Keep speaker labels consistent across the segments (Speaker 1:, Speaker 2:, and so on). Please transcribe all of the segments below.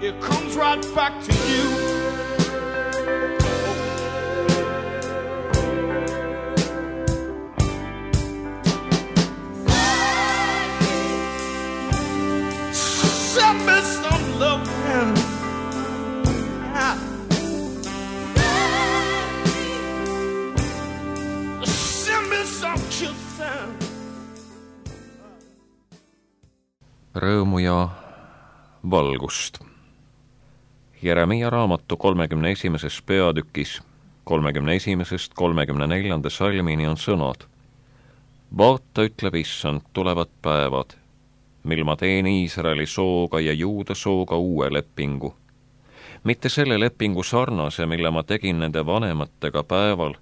Speaker 1: it comes right back to you. Send me some love and send me some kisses.
Speaker 2: Rõõmu ja valgust. Jeremia raamatu 31. peatükis 31.–34. salmini on sõnad. Vaata, ütleb Issand, tulevad päevad, mil ma teen Iisraeli sooga ja Juuda sooga uue lepingu. Mitte selle lepingu sarnase, mille ma tegin nende vanematega päeval,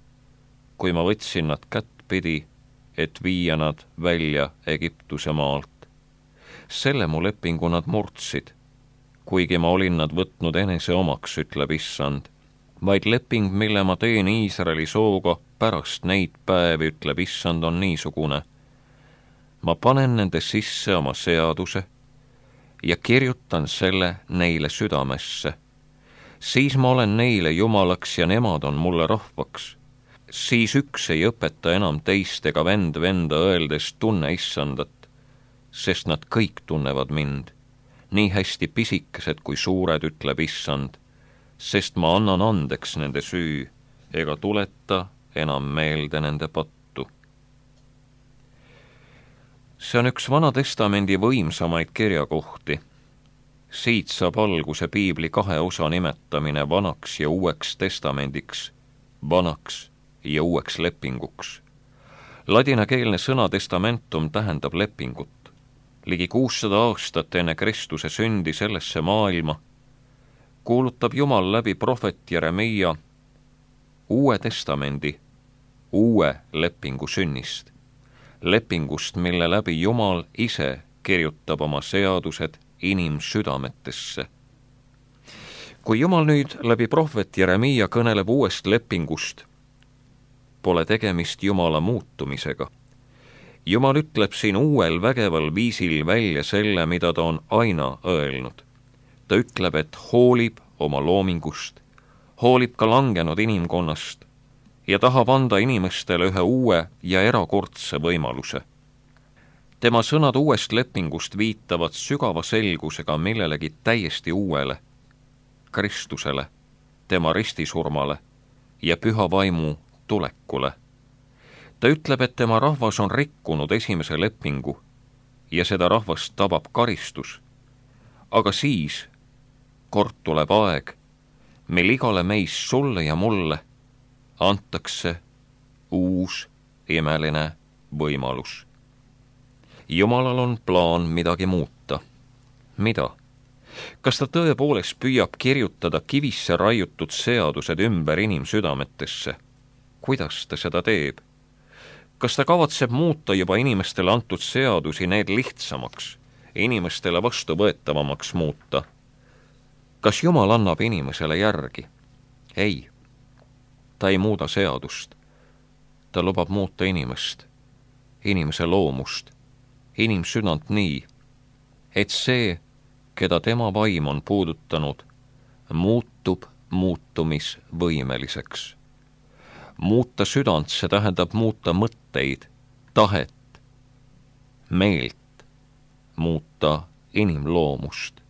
Speaker 2: kui ma võtsin nad kättpidi, et viia nad välja Egiptuse maalt. Selle mu lepingu nad murdsid, kuigi ma olin nad võtnud enese omaks, ütleb Issand, vaid leping, mille ma teen Iisraeli sooga pärast neid päevi, ütleb Issand, on niisugune. Ma panen nende sisse oma seaduse ja kirjutan selle neile südamesse. Siis ma olen neile jumalaks ja nemad on mulle rahvaks. Siis üks ei õpeta enam teist ega vend venda öeldes tunne Issandat, sest nad kõik tunnevad mind, nii hästi pisikesed kui suured, ütleb Issand, sest ma annan andeks nende süü ega tuleta enam meelde nende pattu. See on üks Vana Testamendi võimsamaid kirjakohti. Siit saab alguse piibli kahe osa nimetamine vanaks ja uueks testamendiks, vanaks ja uueks lepinguks. Ladinakeelne sõna testamentum tähendab lepingut. Ligi 600 aastat enne Kristuse sündi sellesse maailma kuulutab Jumal läbi prohvet Jeremia uue testamendi, uue lepingu sünnist. Lepingust, mille läbi Jumal ise kirjutab oma seadused inimsüdametesse. Kui Jumal nüüd läbi prohvet Jeremia kõneleb uuest lepingust, pole tegemist Jumala muutumisega. Jumal ütleb siin uuel vägeval viisil välja selle, mida ta on aina öelnud. Ta ütleb, et hoolib oma loomingust, hoolib ka langenud inimkonnast ja tahab anda inimestele ühe uue ja erakordse võimaluse. Tema sõnad uuest lepingust viitavad sügava selgusega millelegi täiesti uuele, Kristusele, tema ristisurmale ja püha vaimu tulekule. Ta ütleb, et tema rahvas on rikkunud esimese lepingu ja seda rahvast tabab karistus. Aga siis kord tuleb aeg, mil igale meist, sulle ja mulle, antakse uus imeline võimalus. Jumalal on plaan midagi muuta. Mida? Kas ta tõepoolest püüab kirjutada kivisse raiutud seadused ümber inimsüdametesse? Kuidas ta seda teeb? Kas ta kavatseb muuta juba inimestele antud seadusi need lihtsamaks, inimestele vastuvõetavamaks muuta? Kas Jumal annab inimesele järgi? Ei. Ta ei muuda seadust. Ta lubab muuta inimest, inimese loomust, inimsüdant nii, et see, keda tema vaim on puudutanud, muutub muutumisvõimeliseks. Muuta südant, see tähendab muuta mõtteid, tahet, meelt, muuta inimloomust.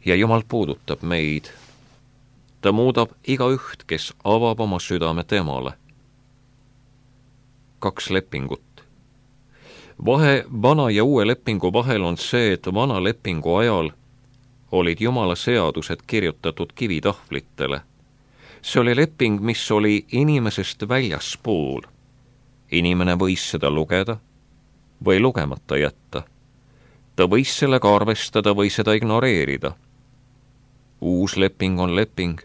Speaker 2: Ja Jumal puudutab meid. Ta muudab igaüht, kes avab oma südame temale. 2 lepingut. Vahe vana ja uue lepingu vahel on see, et vana lepingu ajal olid Jumala seadused kirjutatud kivitahvlitele. See oli leping, mis oli inimesest väljaspool. Inimene võis seda lugeda või lugemata jätta. Ta võis sellega arvestada või seda ignoreerida. Uus leping on leping,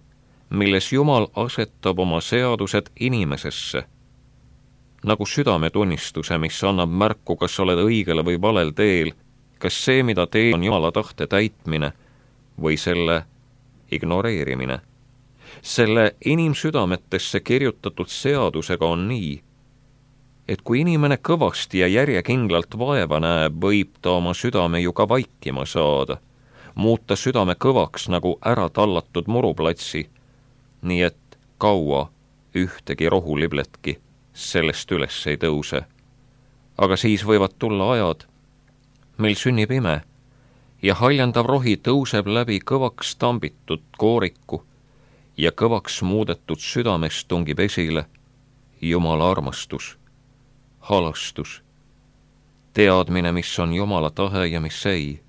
Speaker 2: milles Jumal asetab oma seadused inimesesse, nagu südametunnistuse, mis annab märku, kas oled õigele või valel teel, kas see, mida teed, on Jumala tahte täitmine või selle ignoreerimine. Selle inimsüdametesse kirjutatud seadusega on nii, et kui inimene kõvasti ja järjekindlalt vaeva näeb, võib ta oma südame ju ka vaikima saada. muuta südame kõvaks nagu ära tallatud muruplatsi, nii et kaua ühtegi rohulibletki sellest üles ei tõuse. Aga siis võivad tulla ajad, mil sünnib ime ja haljandav rohi tõuseb läbi kõvaks tambitud kooriku ja kõvaks muudetud südamest tungib esile Jumala armastus, halastus, teadmine, mis on Jumala tahe ja mis ei.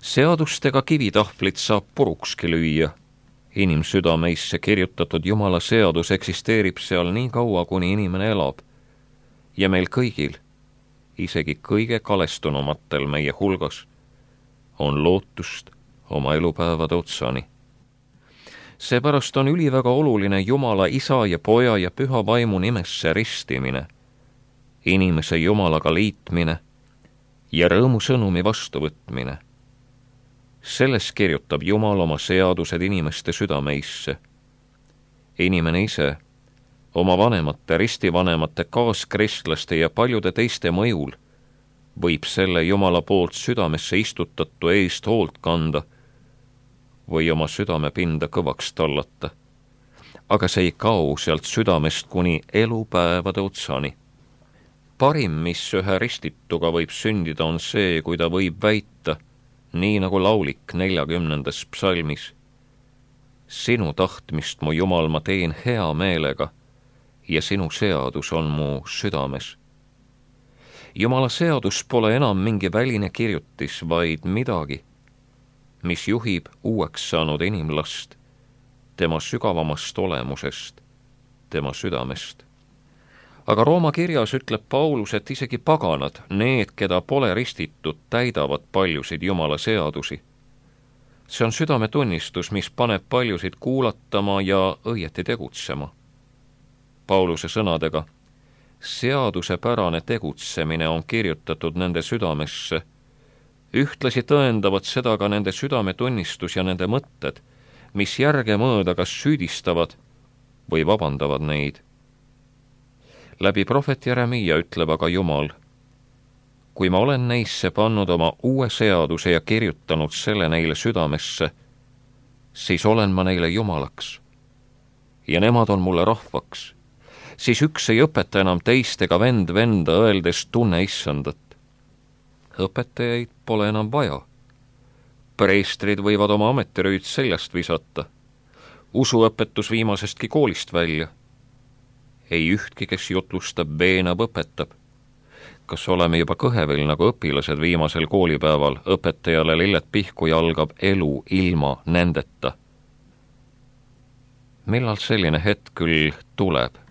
Speaker 2: Seadustega kivitahvlit saab purukski lüüa. Inimsüdameisse kirjutatud Jumala seadus eksisteerib seal nii kaua, kuni inimene elab. Ja meil kõigil, isegi kõige kalestunumatel meie hulgas, on lootust oma elupäevade otsani. Seepärast on üliväga oluline Jumala Isa ja Poja ja Püha Vaimu nimesse ristimine, inimese Jumalaga liitmine ja rõõmusõnumi vastuvõtmine. Selles kirjutab Jumal oma seadused inimeste südameisse. Inimene ise, oma vanemate, ristivanemate, kaaskristlaste ja paljude teiste mõjul võib selle Jumala poolt südamesse istutatu eest hoolt kanda või oma südamepinda kõvaks tallata. Aga see ei kao sealt südamest kuni elupäevade otsani. Parim, mis ühe ristituga võib sündida, on see, kui ta võib väita, nii nagu laulik 40. psalmis. Sinu tahtmist, mu Jumal, ma teen hea meelega ja sinu seadus on mu südames. Jumala seadus pole enam mingi väline kirjutis, vaid midagi, mis juhib uueks saanud inimlast, tema sügavamast olemusest, tema südamest. Aga Rooma kirjas ütleb Paulus, et isegi paganad, need, keda pole ristitud, täidavad paljusid Jumala seadusi. See on südametunnistus, mis paneb paljusid kuulatama ja õieti tegutsema. Pauluse sõnadega, seadusepärane tegutsemine on kirjutatud nende südamesse, ühtlasi tõendavad seda ka nende südametunnistus ja nende mõtted, mis järgemööda kas süüdistavad või vabandavad neid. Läbi prohvet Jeremiia ütleb aga Jumal, kui ma olen neisse pannud oma uue seaduse ja kirjutanud selle neile südamesse, siis olen ma neile Jumalaks ja nemad on mulle rahvaks. Siis üks ei õpeta enam teist ega vend venda, öeldes tunne issandat. Õpetajaid pole enam vaja. Preestrid võivad oma ametirüüd seljast visata. Usuõpetus viimasestki koolist välja. Ei ühtki, kes jutlustab, veenab, õpetab. Kas oleme juba kõhevil nagu õpilased viimasel koolipäeval, õpetajale lilled pihku ja algab elu ilma nendeta? Millal selline hetk küll tuleb?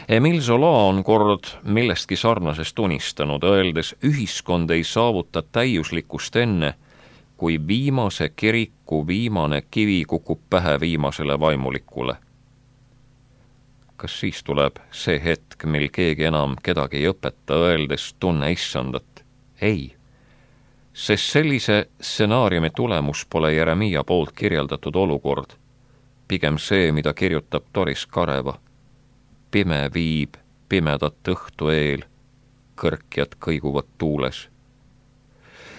Speaker 2: Emile Zola on kord millestki sarnasest unistanud, öeldes, ühiskond ei saavuta täiuslikkust enne, kui viimase kiriku viimane kivi kukub pähe viimasele vaimulikule. Kas siis tuleb see hetk, mil keegi enam kedagi ei õpeta, öeldes tunne issandat? Ei, sest sellise stsenaariumi tulemus pole Jeremiia poolt kirjeldatud olukord, pigem see, mida kirjutab Doris Kareva. Pime viib pimedat õhtu eel, kõrkjad kõiguvad tuules.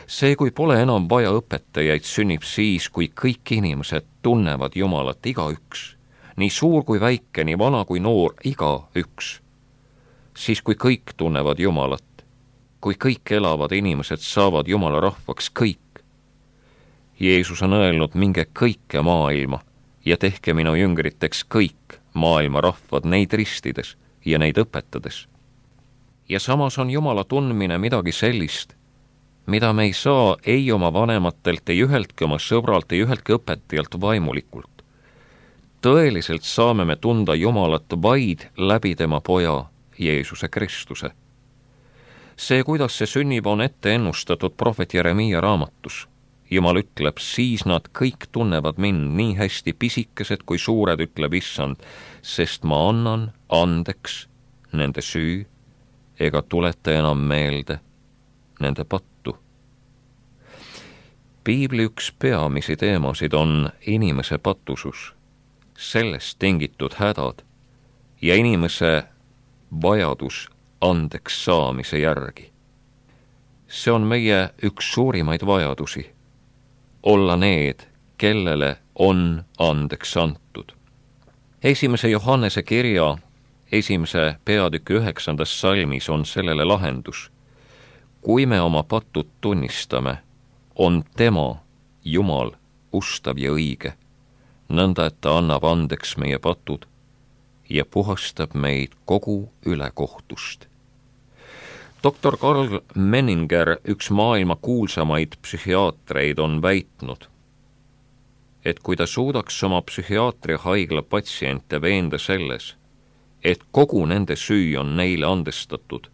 Speaker 2: See, kui pole enam vaja õpetajaid, sünnib siis, kui kõik inimesed tunnevad Jumalat, igaüks, nii suur kui väike, nii vana kui noor, igaüks. Siis, kui kõik tunnevad Jumalat, kui kõik elavad inimesed saavad Jumala rahvaks, kõik. Jeesus on öelnud, minge kõike maailma ja tehke minu jüngriteks kõik maailma rahvad, neid ristides ja neid õpetades. Ja samas on Jumala tundmine midagi sellist, mida me ei saa ei oma vanematelt, ei üheltki oma sõbralt, ei üheltki õpetajalt vaimulikult. Tõeliselt saame me tunda Jumalat vaid läbi tema Poja, Jeesuse Kristuse. See, kuidas see sünnib, on ette ennustatud prohvet Jeremiia raamatus. Jumal ütleb, siis nad kõik tunnevad mind, nii hästi pisikesed kui suured, ütleb issand, sest ma annan andeks nende süü ega tuleta enam meelde nende pattu. Piibli üks peamisi teemasid on inimese patusus, sellest tingitud hädad ja inimese vajadus andeks saamise järgi. See on meie üks suurimaid vajadusi. olla need, kellele on andeks antud. 1. Johannese kirja 1. peatüki 9. salmis on sellele lahendus. Kui me oma patud tunnistame, on tema, Jumal, ustav ja õige, nõnda, et ta annab andeks meie patud ja puhastab meid kogu ülekohtust. Doktor Karl Menninger, üks maailma kuulsamaid psühhiaatreid, on väitnud, et kui ta suudaks oma psühhiaatriahaigla patsiente veenda selles, et kogu nende süü on neile andestatud,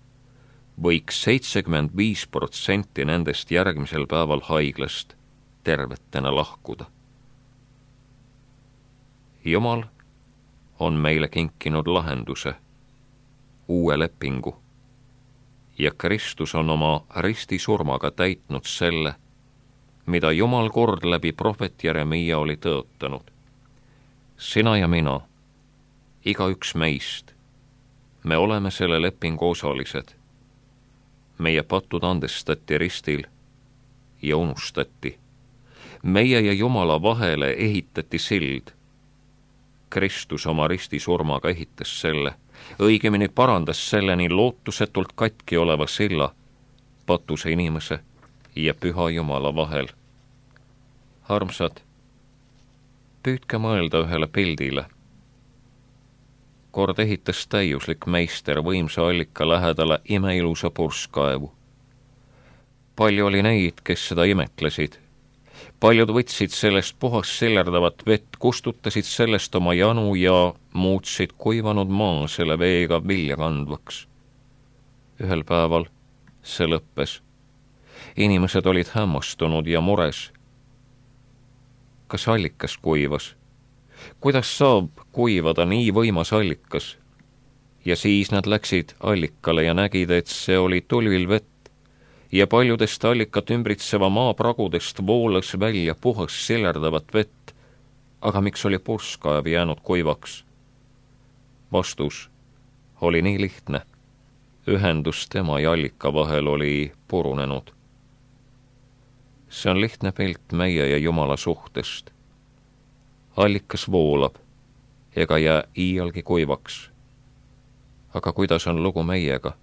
Speaker 2: võiks 75% nendest järgmisel päeval haiglast tervetena lahkuda. Jumal on meile kinkinud lahenduse, uue lepingu, ja Kristus on oma ristisurmaga täitnud selle, mida Jumal kord läbi prohvet Jeremiia oli tõotanud. Sina ja mina, igaüks meist, me oleme selle lepingu osalised. Meie patud andestati ristil ja unustati. Meie ja Jumala vahele ehitati sild. Kristus oma ristisurmaga ehitas selle, õigemini parandas selle nii lootusetult katki oleva silla patuse inimese ja püha Jumala vahel. Armsad, püüdke mõelda ühele pildile. Kord ehitas täiuslik meister võimsa allika lähedale imeilusa purskkaevu. Palju oli neid, kes seda imetlesid. Paljud võtsid sellest puhast sillerdavat vett, kustutasid sellest oma janu ja muutsid kuivanud maa selle veega vilja kandvaks. Ühel päeval see lõppes. Inimesed olid hämmastunud ja mures. Kas allikas kuivas? Kuidas saab kuivada nii võimas allikas? Ja siis nad läksid allikale ja nägid, et see oli tulvil vett ja paljudest allikat ümbritseva maa pragudest voolas välja puhas sillerdavat vett, aga miks oli purskkaev jäänud kuivaks? Vastus oli nii lihtne. Ühendus tema ja allika vahel oli purunenud. See on lihtne pilt meie ja Jumala suhtest. Allikas voolab ega jää iialgi kuivaks. Aga kuidas on lugu meiega?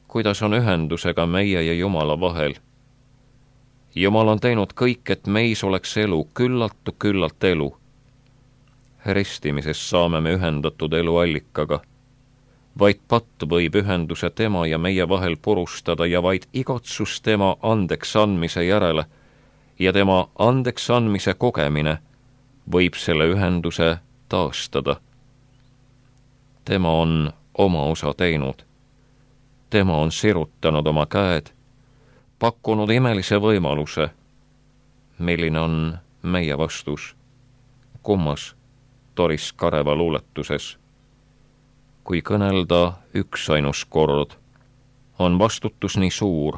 Speaker 2: Kuidas on ühendusega meie ja Jumala vahel? Jumal on teinud kõik, et meis oleks elu, küllalt elu. Ristimises saame me ühendatud elu allikaga. Vaid patt võib ühenduse tema ja meie vahel purustada ja vaid igatsus tema andeks andmise järele ja tema andeks andmise kogemine võib selle ühenduse taastada. Tema on oma osa teinud. Tema on sirutanud oma käed, pakkunud imelise võimaluse. Milline on meie vastus? Kummas Doris Kareva luuletuses? Kui kõnelda üksainus kord, on vastutus nii suur,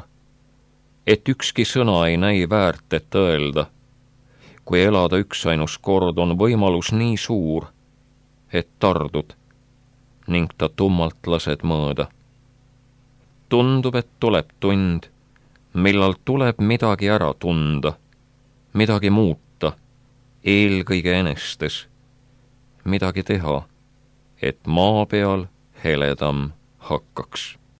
Speaker 2: et ükski sõna ei näi väärt, et öelda. Kui elada üksainus kord, on võimalus nii suur, et tardud ning ta tummalt lased mõõda. Tundub, et tuleb tund, millal tuleb midagi ära tunda, midagi muuta, eelkõige enestes, midagi teha, et maa peal heledam hakkaks.